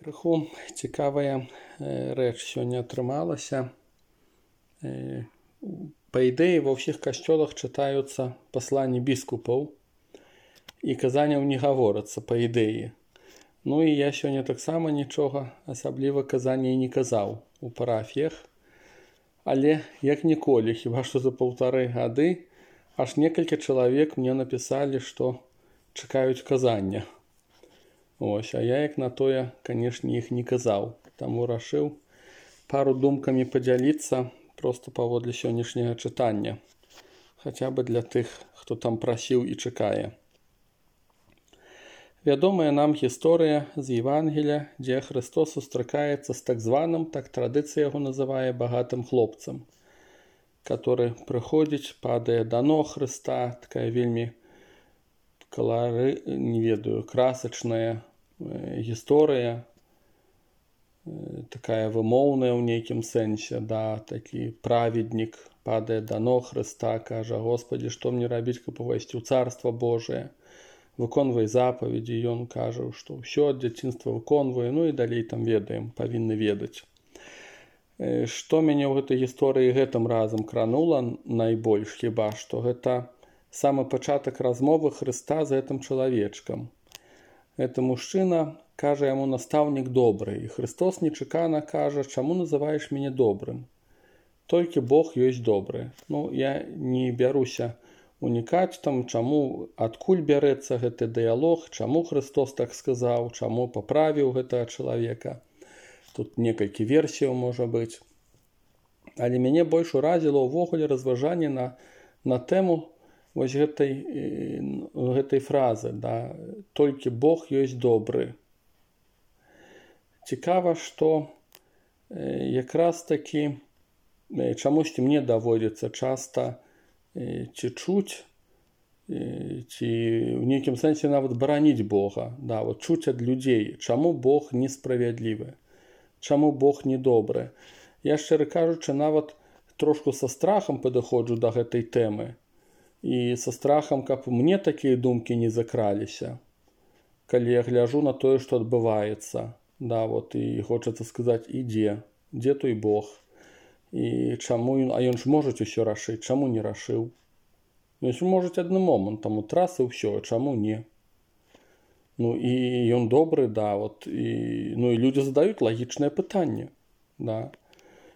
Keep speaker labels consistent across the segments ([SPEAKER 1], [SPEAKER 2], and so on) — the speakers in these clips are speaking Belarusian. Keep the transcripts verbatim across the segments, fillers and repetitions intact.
[SPEAKER 1] Крыху цікавая рэч сёння атрымалася. Па ідэі ва ўсіх касцёлах чытаюцца пасланні біскупаў і казанняў не гаворыцца па ідэі. Ну і я сёння таксама нічога асабліва казання і не казаў у парафіях. Але як ніколі, хіба што за паўтары гады, аж некалькі чалавек мне напісалі, што чакаюць казання. Ось, а я як на тое, канешне, іх не казаў. Таму рашыў пару думкамі падзяліцца проста паводле сённяшняга чытання. Хаця бы для тых, хто там прасіў і чакае. Вядомая нам гісторыя з Евангелія, дзе Христос сустракаецца з так званым, так традыцыя яго называе, багатым хлопцам, который прыходзіць, падае да ног Хрыста, такая вельмі колоры, не ведаю, красачная э, гісторыя, э, такая вымоўная ў нейкім сэнсе, да, такі праведнік падае да ног Хрыста, кажа: Господі, што мне рабіць, каб увайсці ў Царства Божие? Выконвай запаведзі, ён кажа, што ўсё ад дзяцінства выконвае, ну і далей там ведаем, павінны ведаць. Э, што мяне ў гэтай гісторыі гэтым разам кранула найбольш, хіба што гэта самы пачатак размовы Хрыста з гэтым чалавечкам. Гэты мужчына кажа яму: настаўнік добры, і Христос нечакана кажа: чаму называеш мяне добрым? Толькі Бог ёсць добры. Ну, я не бяруся унікаць там, чаму, адкуль бярэцца гэты дыялог, чаму Христос так сказаў, чаму паправіў гэтага чалавека. Тут некалькі версіяў можа быць. Але мяне больш уразіла ўвогуле разважанне на, на тэму вось гэтай, гэтай фразы, да, толькі Бог ёсць добры. Цікава, што якраз такі чамусьці мне даводзіцца часта ці чуць, ці ў нейкім сэнсе нават бараніць Бога, да, вот чуць ад людзей, чаму Бог несправядлівы, чаму Бог недобры. Я, шчыра кажучы, нават трошку са страхам падыходжу да гэтай тэмы. І са страхам, каб мне такія думкі не закраліся, калі я гляжу на тое, што адбываецца. Да, вот, і хочацца сказаць: і дзе? Дзе той Бог? І чаму ён, а ён ж можа усё рашыць, чаму не рашыў? Ён ж можа адным момантам утрас і ўсё, чаму не? Ну і ён добры, да, вот, і, ну і людзі задаюць лагічнае пытанне, да.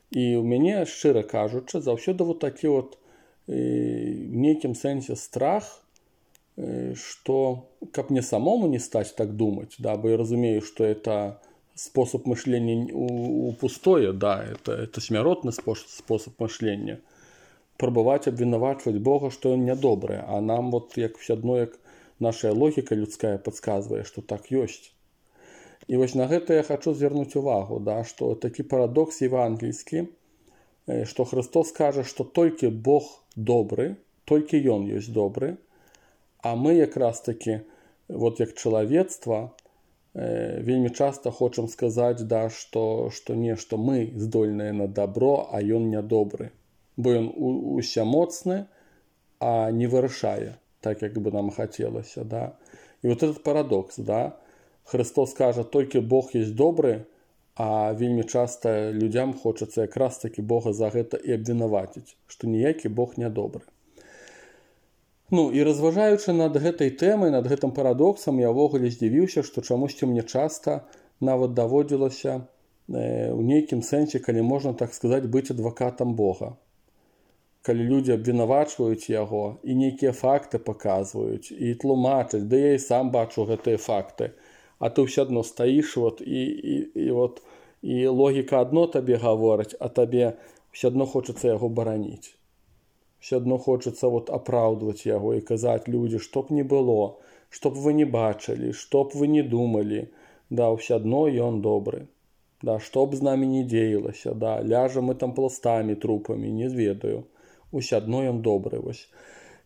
[SPEAKER 1] І ў мяне, шчыра кажучы, заўсёды вот такі вот в нейкім сэнсе страх, што каб мне самому не стаць так думаць, да, бо я разумею, што это способ мышлення у, у пустое, да, это, это смяротны способ мышлення. Прабаваць абвінавачваць Бога, што ён нядобры, а нам вот як все адно, як наша логіка людская падказвае, што так ёсць. І вось на гэта я хачу звярнуць увагу, да, што такі парадокс евангельскі, што Христос кажа, што толькі Бог добры, толькі ён ёсць добры, а мы якраз такі, вот як чалавецтва, э, вельмі часта хочам сказаць, да, што, што не, што мы здольныя на добро, а ён нядобры. Бо ён усямоцны, а не вырашае, так як бы нам хацелася, да. І вот этот парадокс, да, Христос кажа, толькі Бог ёсць добры, а вельмі часта людзям хочацца якраз такі Бога за гэта і абвінаваціць, што ніякі Бог нядобры. Ну і разважаючы над гэтай тэмай, над гэтым парадоксам, я ўвогуле здзівіўся, што чамусьці мне часта нават даводзілася э, ў нейкім сэнсе, калі можна так сказаць, быць адвакатам Бога. Калі людзі абвінавачваюць яго і нейкія факты паказваюць і тлумачаць, да я і сам бачу гэтыя факты, а ты ўсё адно стаіш, вот, і, і, і, вот, і логіка адно табе гаворыць, а табе ўсё адно хочацца яго бараніць. Ўсё адно хочацца вот, апраўдваць яго і казаць: людзі, што б не было, што б вы не бачылі, што б вы не думалі, да, ўсё адно ён добры. Да, што б з намі не дзеялася, да, ляжам мы там пластамі, трупамі, не зведаю. Усё адно ён добры, вось.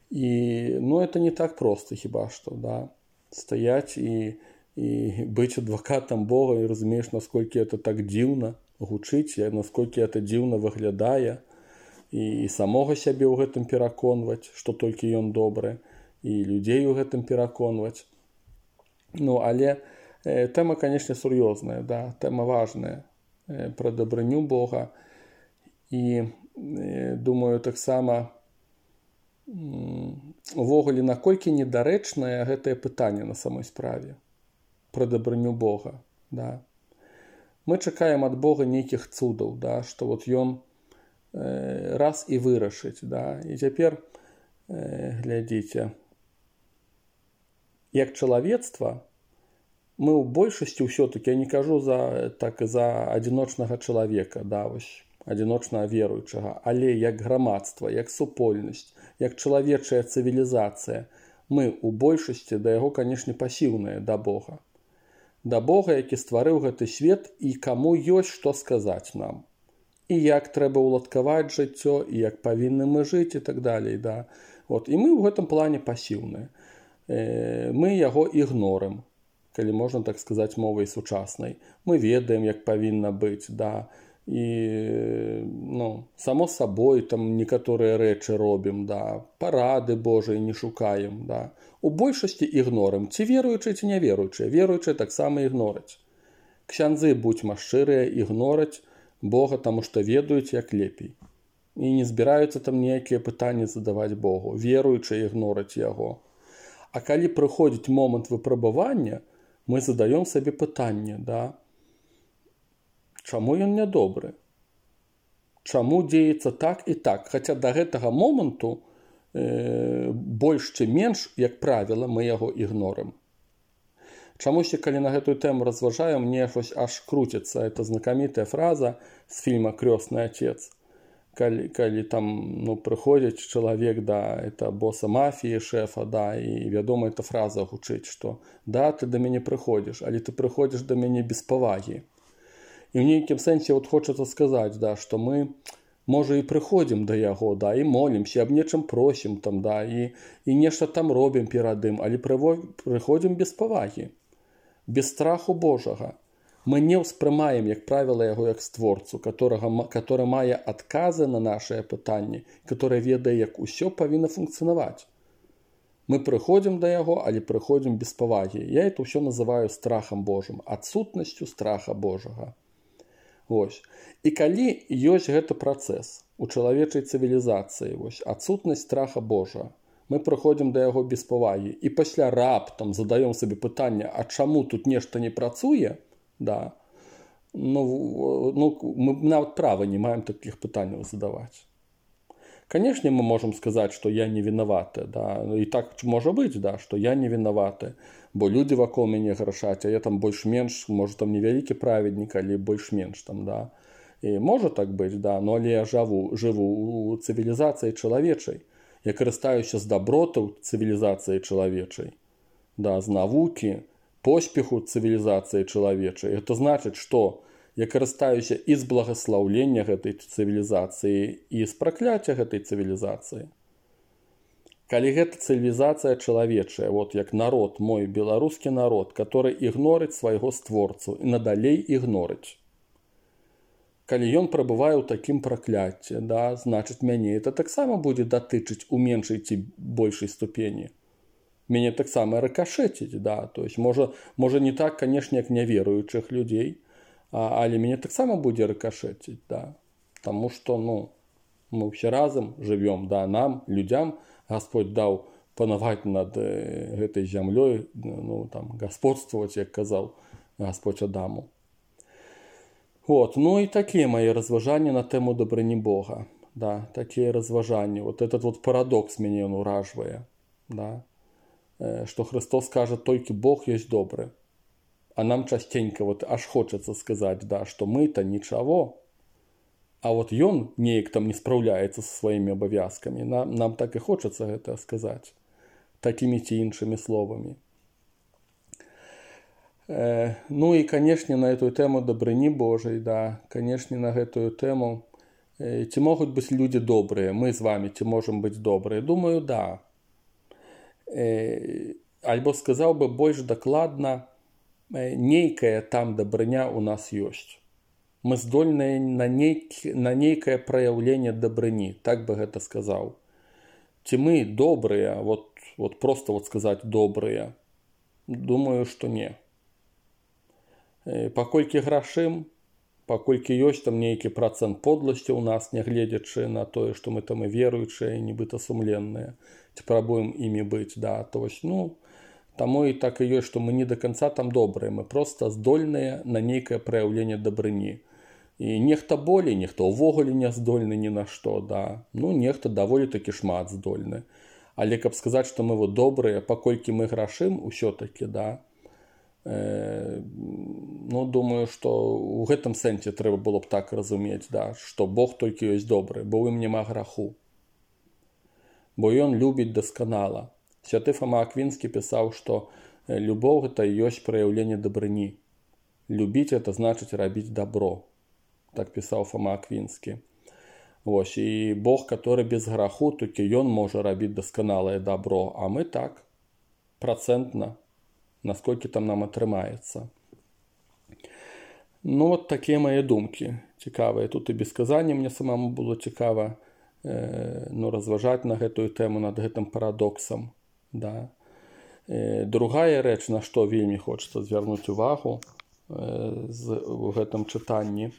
[SPEAKER 1] І, ну, это не так проста хіба што, да, стаяць і і быць адвакатам Бога, і разумееш, насколькі это так дзіўна гучыць, насколькі это дзіўна выглядае, і, і самога сябе ў гэтым пераконваць, што толькі ён добры, і людзей у гэтым пераконваць. Ну, але Тэма, канешне, сур'ёзная, да, тэма важная пра дабрыню Бога. І думаю, таксама увогуле, наколькі недарэчнае гэтае пытанне на самой справе пра дабрыню Бога. Да. Мы чакаем ад Бога нейкіх цудаў, да, што вот ён э, раз і вырашыць. Да. І цяпер э, глядзіце, як чалавецтва, мы ў большасці ўсё-таки, я не кажу за, так, за адзіночнага чалавека, да, вось, адзіночнага веруючага, але як грамадства, як супольнасць, як чалавечая цывілізацыя, мы ў большасці да яго, канешне, пасіўныя да Бога. Да Бога, які стварыў гэты свет і каму ёсць што сказаць нам. І як трэба ўладкаваць жыццё, і як павінны мы жыць і так далей. Да. Вот. І мы ў гэтым плане пасіўныя. Э, мы яго ігнорым, калі можна так сказаць мовай сучаснай. Мы ведаем, як павінна быць, да. І, ну, само сабой там некаторыя рэчы робім, да. Парады Божыя не шукаем, да. У большасці ігнорым, ці веруючыя, ці не веруючыя. Веруючыя таксама ігнораць. Ксяндзы, будзьма шчырыя, ігнораць Бога, таму што ведаюць, як лепей. І не збіраюцца там ніякія пытанні задаваць Богу. Веруючыя ігнораць яго. А калі прыходзіць момант выпрабавання, мы задаём сабе пытанне, да, чаму ён нядобры? Чаму дзеецца так і так? Хаця да гэтага моманту э, больш ці менш, як правіла, мы яго ігнорым. Чамусьці, калі на гэтую тэму разважаем, мне аж круціцца. Это знакамітая фраза з фільма «Крёстны отец». Калі, калі там, ну, прыходзіць чалавек да это боса мафіі, шэфа, да, і вядома, эта фраза гучыць, што да, ты да мяне прыходзіш, але ты прыходзіш да мяне без павагі. І ў нейкім сэнсе вот хочацца сказаць, да, што мы, можа, і прыходзім да яго, да, і молімся, аб нечым просім там, да, і, і нешта там робім перад ім, але прыходзім без павагі, без страху Божага. Мы не ўспрымаем, як правіла, яго як створцу, которага, который мае адказы на нашыя пытанні, который ведае, як усё павінна функцыянаваць. Мы прыходзім да яго, але прыходзім без павагі. Я это ўсё называю страхам Божым, адсутнасцю страха Божага. Вось. І калі ёсць гэты працэс у чалавечай цывілізацыі, вось, адсутнасць страха Божага, мы прыходзім да яго без павагі, і пасля раптам задаём сабе пытанне, а чаму тут нешта не працуе, да, ну, ну, мы нават права не маем такіх пытанняў задаваць. Канешне, мы можам сказаць, што я не вінаваты, да, і так можа быць, да, што я не вінаваты, бо людзі вакол мяне грашаць, а я там больш-менш, можа, там невялікі праведнік, але больш-менш там, да. І можа так быць, да, но але я жыву, жыву у цывілізацыі чалавечай, я карыстаюся з дабротаў цывілізацыі чалавечай, да, з навукі, поспеху цывілізацыі чалавечай. Это значыць, што я карыстаюся і з благаслаўлення гэтай цывілізацыі, і з пракляцця гэтай цывілізацыі. Калі гэта цывілізацыя чалавечая, вот як народ, мой беларускі народ, который ігнорыць свайго створцу і надалей ігнорыць. Калі ён прабывае ў такім пракляцці, да, значыць, мяне это таксама будзе датычыць у меншай ці большай ступені. Мяне таксама рыкашэціць, да, то есть, можа, можа не так, канешне, як няверуючых людзей, а, але мяне таксама будзе рыкашэціць, да, таму што, ну, мы ўсе разам жывём, да, нам, людзям, Гасподзь даў панаваць над э, гэтай зямлёй, ну, там, гасподстваваць, як казаў Гасподзь Адаму. Вот, ну і такія мае разважанні на тэму дабрыні Бога, да, такія разважанні, вот этот вот парадокс мяне ён уражвае, да, што Христос кажа, толькі Бог ёсць добры. А нам частенька вот аж хочацца сказаць, да, што мы-то нічаго, а вот ён неяк там не спраўляецца са сваімі абавязкамі. Нам, нам так і хочацца гэта сказаць такімі ці іншымі словамі. Э, ну і, канешне, на эту тэму дабрыні Божай, да, канешне, на гэтую тэму, э, ці могуць быць людзі добрыя, мы з вамі ці можам быць добрыя? Думаю, да. Альбо сказаў бы больш дакладна, нейкая там дабрыня у нас ёсць. Мы здольныя на, нейк, на нейкае праяўленне дабрыні, так бы гэта сказаў. Ці мы добрыя, вот, вот просто вот сказаць добрыя? Думаю, што не. Паколькі грашым, паколькі ёсць там нейкі працэнт подласці ў нас, нягледзячы на тое, што мы там і веруючыя, і нібыта сумленныя, ці прабуем імі быць, да, то вось, ну, таму і так і ёсць, што мы не да канца там добрыя, мы проста здольныя на нейкае праяўленне дабрыні. І нехта болей, нехта ўвогуле не здольны ні на што, да, ну, нехта даволі такі шмат здольны. Але каб сказаць, што мы вот добрыя, паколькі мы грашым, усё-такі, да, э, ну, думаю, што ў гэтым сэнсе трэба было б так разумець, да, што Бог толькі ёсць добры, бо ў ім няма граху. Бо ён любіць дасканала. Святы Фома Аквінскі пісаў, што любоў гэта ёсць праяўленне дабрыні. Любіць это значыць рабіць добро. Так пісаў Фома Аквінскі. Вось, і Бог, который без граху, толькі ён можа рабіць дасканалае добро, а мы так, працэнтна, насколькі там нам атрымаецца. Ну, вот такія мае думкі цікавыя. Тут і без казання мне самому было цікава э, ну, разважаць на гэтую тэму, над гэтым парадоксам. Да. Э, другая рэч, на што вельмі хочацца звярнуць увагу э, з, у гэтым чытанні,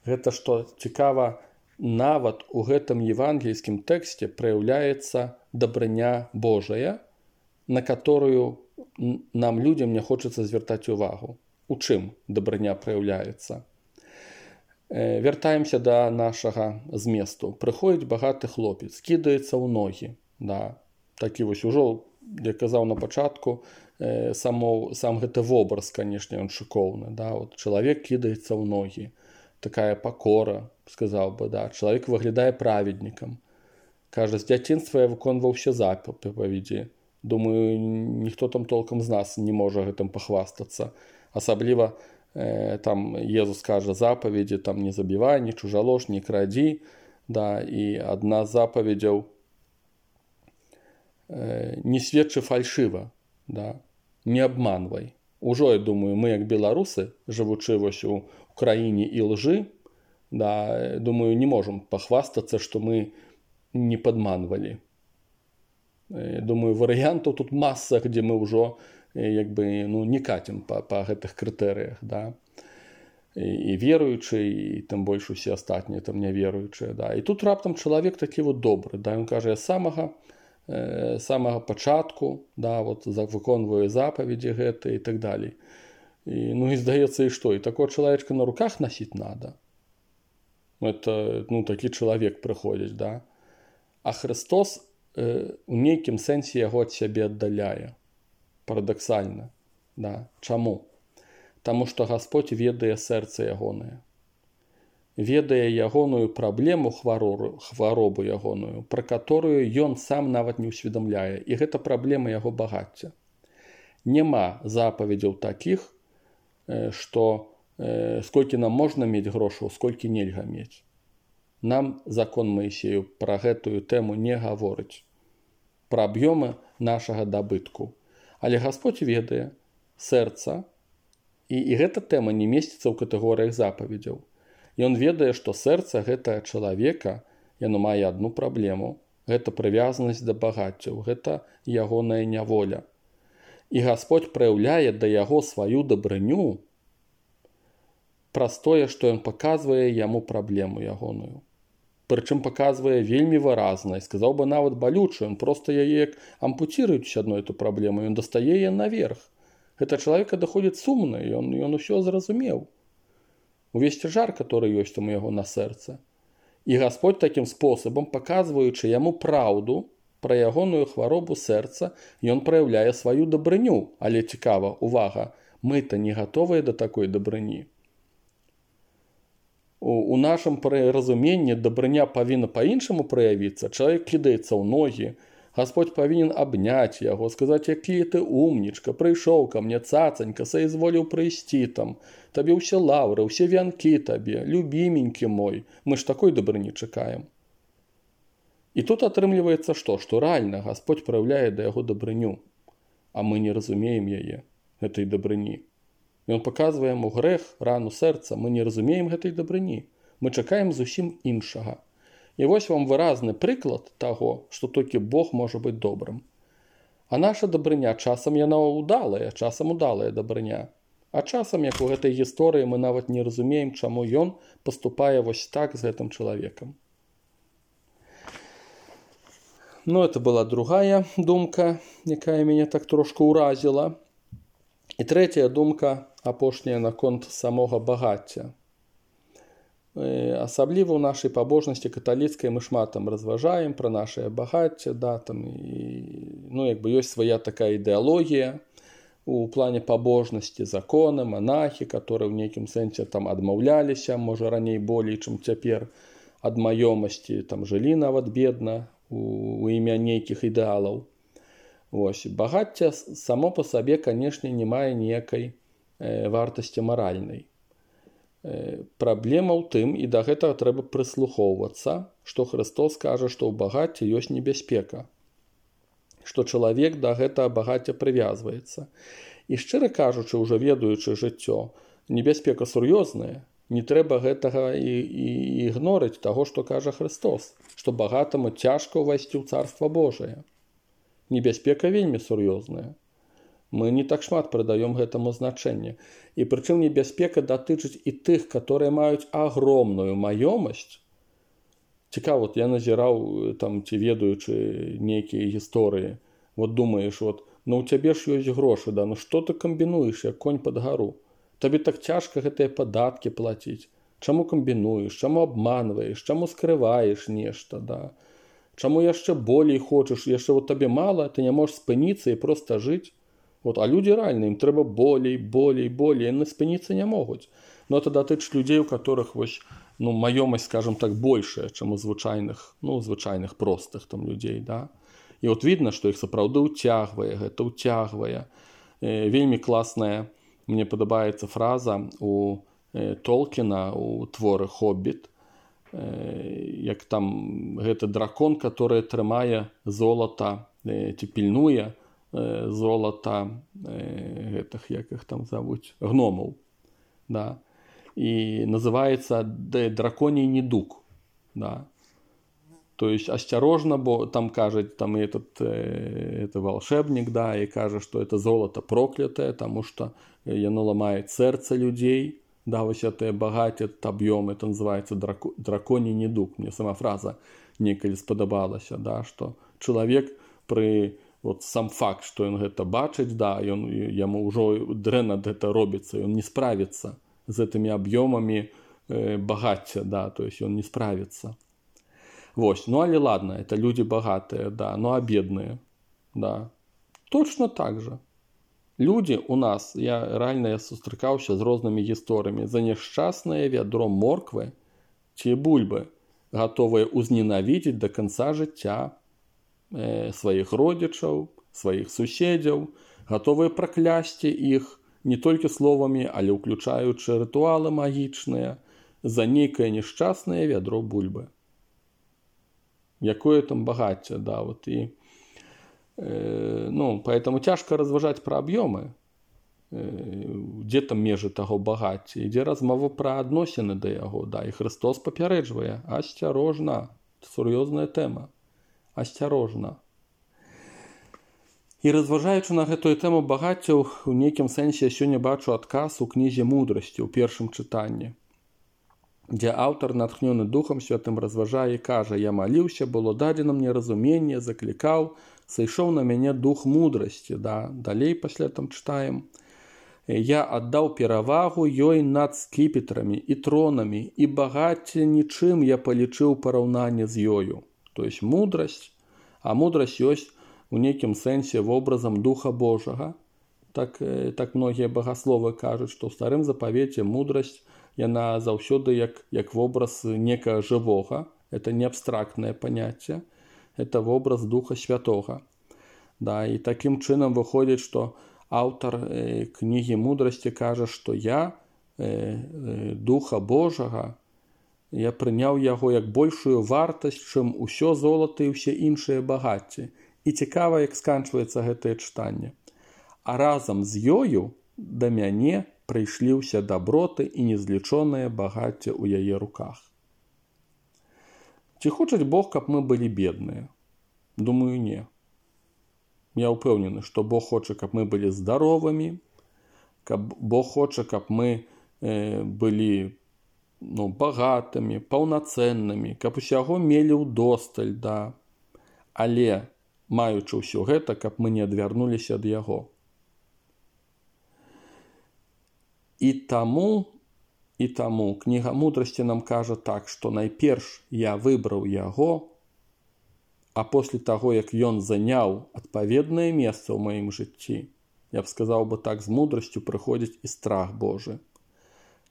[SPEAKER 1] гэта што цікава, нават у гэтым евангельскім тэксце праяўляецца дабрыня Божая, на которую нам, людям, не хочацца звяртаць увагу. У чым дабрыня праяўляецца? Э, вяртаемся да нашага зместу. Прыходзіць багаты хлопец, кідаецца ў ногі. Да. Такі вось ужо, як казаў на пачатку, э, само, сам гэты вобраз, канешне, ён шыкоўны. Да. От, чалавек кідаецца ў ногі. Такая пакора, сказаў бы, да. Чалавек выглядае праведнікам. Кажа, з дзяцінства я выконваў усе запаведзі. Думаю, ніхто там толкам з нас не можа гэтым пахвастацца. Асабліва э, там Езус кажа запаведзі, там не забівай, не чужалож, не крадзі. Да, і адна з запаведзяў э, не сведчы фальшыва, да, не абманвай. Ужо, я думаю, мы як беларусы, жывучы вось у краіне і лжы, да, думаю, не можам пахвастацца, што мы не падманвалі. Думаю, варыянтаў тут маса, дзе мы ўжо як бы, ну, не кацім па, па гэтых крытэрыях. Да. І, і веруючы, і тым больш усе астатнія там не веруючыя. Да. І тут раптам чалавек такі вот добры. Да. Ён кажа, я самага, э, самага пачатку, да, вот, выконваю запаведзі гэтыя і так далей. І, ну і здаецца, і што? І такого чалавечка на руках носіць надо. Это, ну, такі чалавек прыходзіць, да. А Христос э, у нейкім сэнсе яго ад сябе аддаляе. Парадаксальна. Да. Чаму? Таму што Гасподзь ведае сэрца ягонае. Ведае ягоную праблему, хваробу, хваробу ягоную, пра которую ён сам нават не ўсведамляе. І гэта праблема яго багацця. Нема запаведзяў такіх, што э, сколькі нам можна мець грошаў, сколькі нельга мець. Нам закон Маісею пра гэтую тэму не гаворыць. Пра аб'ёмы нашага дабытку. Але Гасподзь ведае сэрца, і, і гэта тэма не месціцца ў катэгорыях запаведзяў. Ён ведае, што сэрца гэтага чалавека, яно мае адну праблему. Гэта прывязанасць да багаццяў, гэта ягоная няволя. І Гасподзь праяўляе да яго сваю дабрыню праз тое, што ён паказвае яму праблему ягоную. Прычым паказвае вельмі выразна, і сказаў бы нават балючую, ён проста яе як ампуціруючы адну эту праблему, ён дастае яе наверх. Гэта чалавека даходзіць сумна, ён, ён усё зразумеў. Увесь цяжар, который ёсць там у яго на сэрцы. І Гасподзь такім спосабам, паказваючы яму праўду пра ягоную хваробу сэрца, ён праяўляе сваю дабрыню. Але цікава, увага, мы-то не гатовыя да такой дабрыні. У, у нашым разуменні дабрыня павінна па-іншаму праявіцца. Чалавек кідаецца ў ногі, Гасподзь павінен абняць яго, сказаць, які ты умнічка, прыйшоў ка мне, цацанька, саізволіў прыйсці там, табе ўсе лаўры, ўсе вянкі табе, любіменькі мой, мы ж такой дабрыні чакаем. І тут атрымліваецца што? Што рэальна Гасподзь праяўляе да яго дабрыню, а мы не разумеем яе, гэтай дабрыні. Ён паказвае яму грэх, рану сэрца, мы не разумеем гэтай дабрыні, мы чакаем зусім іншага. І вось вам выразны прыклад таго, што толькі Бог можа быць добрым. А наша дабрыня часам яна ўдалая, часам удалая дабрыня. А часам, як у гэтай гісторыі, мы нават не разумеем, чаму ён паступае вось так з гэтым чалавекам. Ну, это была другая думка, якая мяне так трошку ўразіла. І трэцяя думка, апошняя, наконт самога багацця. Асабліва ў нашай пабожнасці каталіцкай мы шмат там разважаем пра нашае багацце, да, там, і, ну, як бы ёсць свая такая ідэалогія у плане пабожнасці, законы, монахі, которые ў нейкім сэнсе там адмаўляліся, можа раней болей, чым цяпер, ад маёмасці, там жылі нават бедна у, у імя нейкіх ідэалаў. Вось, багацце само па сабе, канешне, не мае ніякай э, вартасці маральнай. Э, праблема ў тым, і да гэтага трэба прыслухоўвацца, што Христос кажа, што ў багацці ёсць небяспека, што чалавек да гэтага багацця прывязваецца. І шчыра кажучы, ўжо ведаючы жыццё, небяспека сур'ёзная, не трэба гэтага і, і ігнорыць таго, што кажа Христос, што багатаму цяжка ўвайсці ў Царства Божае. Небяспека вельмі сур'ёзная. Мы не так шмат прыдаём гэтаму значэнне. І прычым небяспека датычыць і тых, которые маюць агромную маёмасць. Цікава, вот я назіраў, там, ці ведаючы нейкія гісторыі. Вот думаеш, вот, ну у цябе ж ёсць грошы, да, ну што ты камбінуеш, як конь пад гару? Табе так цяжка гэтыя падаткі плаціць. Чаму камбінуеш, чаму абманваеш, чаму скрываеш нешта, да? Чаму яшчэ болей хочаш, яшчэ вот табе мала, ты не можаш спыніцца і проста жыць. Вот, а людзі рэальна, ім трэба болей, болей, болей, яны спыніцца не могуць. Но это датычыць людзей, у которых вось, ну, маёмасць, скажем так, большая, чым у звычайных, ну, звычайных простых там людзей, да. І от видно, што іх сапраўды ўцягвае, гэта ўцягвае. Э, вельмі класная, мне падабаецца фраза у э, Толкіна у творы «Хоббіт», як там гэты дракон, который трымае золата, ці пільнуе золата гэтых, як іх там завуць, гномаў, да, і называецца драконий недуг, да. То есть осторожно, бо там кажет, там этот, это волшебник, да, и кажет, что это золото проклятое, потому что оно ломает сердце людей. Да, вось это багацце, этот объем, это называется драко, драконий недуг. Мне сама фраза некалі спадабалася, да, что человек при вот сам факт, что он это бачыць, да, и он ему уже дрэнна это робится, и он не справится с этими объемами э, багацця, да, то есть он не справится. Вось, ну але ладно, это люди богатые, да, ну а бедные, да, точно так же. Люди у нас, я реально я сустракаўся з рознымі гісторыямі, за няшчаснае вядро морквы ці бульбы, готовыя узненавідзець до конца жыцця э, сваіх родзічаў, сваіх суседзяў, готовыя праклясці іх не толькі словамі, але ўключаючы рытуалы магічныя за нейкае няшчаснае вядро бульбы. Якое там багацце, да, вот і ну, поэтому тяжко разважаць пра аб'ёмы, дзе там межы таго багацця, ідзе размова пра адносіны да яго, да, і Христос папярэджвае, асцярожна, сур'ёзная тэма, асцярожна. І разважаючы на гэтую тэму багацця, у нейкім сэнсе я сёння бачу адказ у кнізе мудрасці ў першым чытанні, дзе аўтар, натхнёны Духам Святым, разважае і кажа: «Я маліўся, было дадзена мне разуменне, заклікаў, сышоў на мяне дух мудрасці». Да? Далей пасля там чытаем: «Я аддаў перавагу ёй над скіпетрамі і тронамі, і багацце нічым я палічыў параўнанне з ёю». То есть мудрасць, а мудрасць ёсць у нейкім сэнсе вобразам Духа Божага. Так, так многія багасловы кажуць, што ў старым запавеце мудрасць, яна заўсёды як, як вобраз некага жывога. Это не абстрактнае паняцце, это вобраз Духа Святога. Да, і такім чынам выходзіць, што аўтар э, кнігі мудрасці кажа, што я э, э, Духа Божага, я прыняў яго як большую вартасць, чым усё золата і ўсе іншыя багацці. І цікава, як сканчваецца гэтае чытанне. А разам з ёю да мяне прыйшлі ўсе даброты і незлічонае багацце ў яе руках. Ці хоча Бог, каб мы былі бедныя? Думаю, не. Я ўпэўнены, што Бог хоча, каб мы былі здаровымі, каб Бог хоча, каб мы э, былі ну, багатымі, паўнацэннымі, каб усяго мелі ўдосталь, да. Але, маючы ўсё гэта, каб мы не адвярнуліся ад яго. І таму, і таму кніга мудрасці нам кажа так, што найперш я выбраў яго, а после таго, як ён заняў адпаведнае месца ў маім жыцці, я б сказаў бы так, з мудрасцю прыходзіць і страх Божы.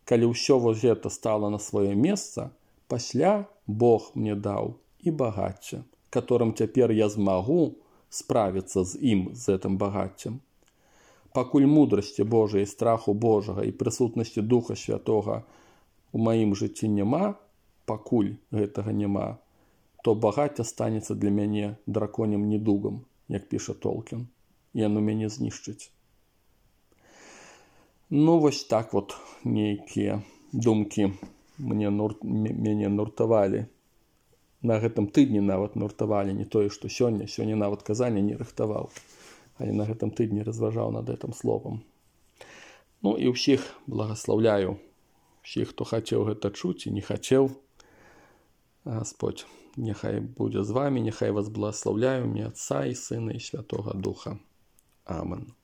[SPEAKER 1] Калі ўсё вось гэта стала на сваё месца, пасля Бог мне даў і багацце, которым цяпер я змагу справіцца з ім, з гэтым багаццем. Пакуль мудрасці Божай, страху Божага і прысутнасці Духа Святога у маім жыцці няма, пакуль гэтага няма, то багацце станецца для мяне драконім недугам, як піша Толкін. Яно мяне знішчыць. Ну, вось так вот нейкія думкі мне нур... мяне нуртавалі. На гэтым тыдні нават нуртавалі, не тое, што сёння, сёння нават казання не рыхтаваў, але на гэтым тыдні разважаў над гэтым словам. Ну і ўсіх благаслаўляю, ўсіх, хто хацеў гэта чуць і не хацеў. Господь, няхай будзе з вамі, няхай вас благаслаўляю, імя Отца і Сына і Святога Духа. Амен.